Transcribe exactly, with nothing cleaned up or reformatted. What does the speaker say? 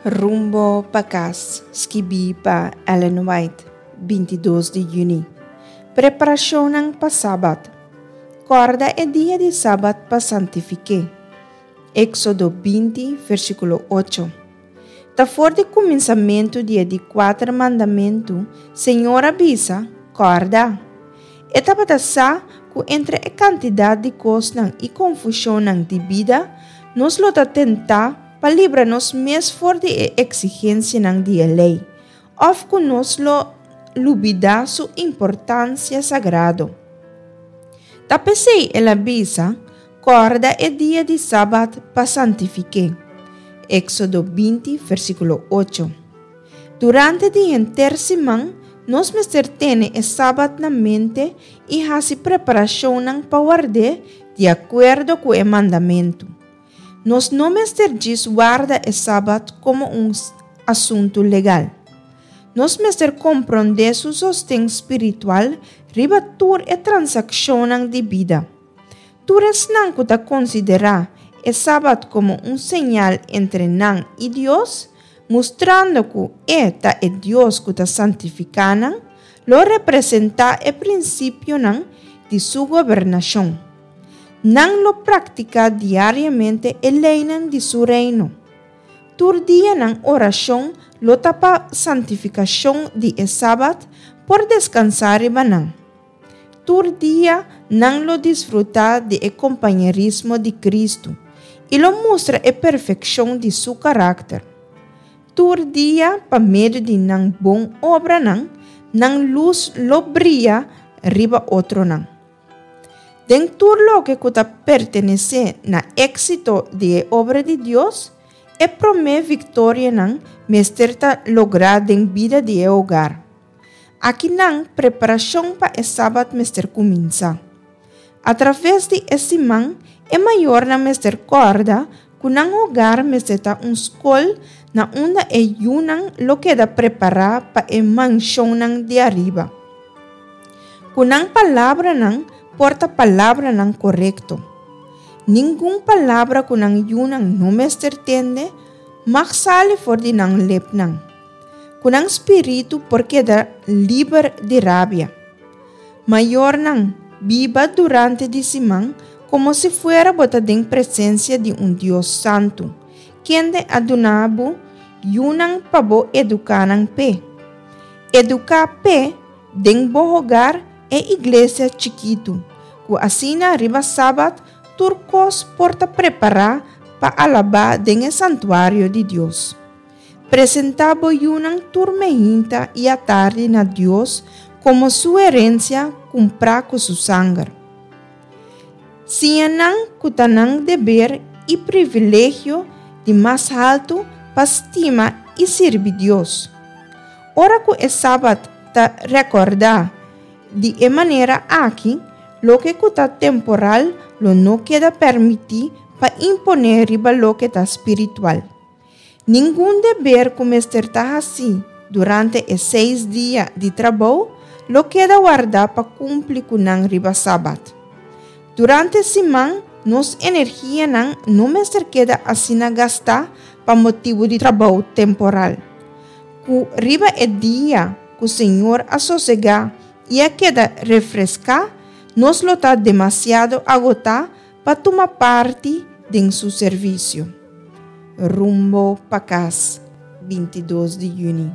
Rumbo pa Kas, skibí pa Ellen White, binti dos di yüni. Preparashonnan pa Sabat. Kòrda e dia di Sabat pa santifik'é. Éksodo binti, versíkulo ocho. Ta for di kuminsamentu di e di kuater mandamentu, Señor a bisa, Kòrda. E tabata sa ku entre e kantidat di kosnan i konfushonnan di bida, nos lo ta tentá pa libra nos mes for di e eksigensianan di e lei, òf ku nos lo lubidá su importansia sagrado. Ta p'esei el a bisa, Kòrda e dia di sabat pa santifik'é. Éksodo binti, versíkulo ocho. Durante di henter siman, nos mester tene e sabat na mente i hasi preparashonnan pa ward'é di akuerdo ku e mandamentu. Nos no mester djis warda e Sabat komo un asuntu legal. Nos mester komprondé su sosten spiritual riba tur e transakshonnan di bida. Tur esnan ku ta konsiderá e Sabat komo un señal entre nan i Dios, mustrando ku E ta e Dios ku ta santifiká nan, lo representá e prinsipionan di Su gobernashon. Nan lo praktiká diariamente e leinan di su Reino. Tur dia nan orashon lo ta pa santifikashon di e Sabat por deskansá riba nan. Tur dia nan lo disfrutá di e kompañerismo di Kristu i lo mustra e perfekshon di su karakter. Tur dia pa medio di nan bon obranan, nan lus lo bria riba otronan. Den tur loke ku ta pertenesé na éksito di e obra di Dios, e promé viktorianan mester ta lográ den bida di e hogar. Akinan preparashon pa e Sabat mester kuminsá. Atraves di e siman, e mayornan mester kòrda ku nan hogar mester ta un skol na unda e yunan lo keda prepará pa e manshonnan di ariba. Ku nan palabranan por ta palabranan korekto. Ningun palabra ku nan yunan no mester tende mag sali for di nan lepnan. Ku nan spiritu por keda liber di rabia. Mayornan, biba durante di siman komo si fuera bo ta den presensia di un Dios santu, kende a duna bo yunan pa bo eduká nan p'e. Eduká p'e den bo hogar e iglesia chikitu, ku asina riba Sabat tur kos por ta prepará pa alabá den e santuario di Dios. Presentá bo yunan tur meinta i atardi na Dios komo su herensia kumprá ku su sanger. Siña nan ku ta nan deber i privilegio di mas haltu pa stima i sirbi Dios. Ora ku e Sabat ta rekordá di e manera aki, loke ku ta temporal lo no keda permití pa imponé riba loke ta spiritual. Ningun deber ku mester ta hasí durante e seis dia di trabou lo keda wardá pa kumpli ku nan riba Sabat. Durante siman, nos energianan no mester keda asina gastá pa motibu di trabou temporal. Ku riba e dia ku Señor a sosegá i a keda refreská, nos lo ta demasiado agotá pa tuma parti den su servisio. Rumbo pa Kas, bintidos di yüni.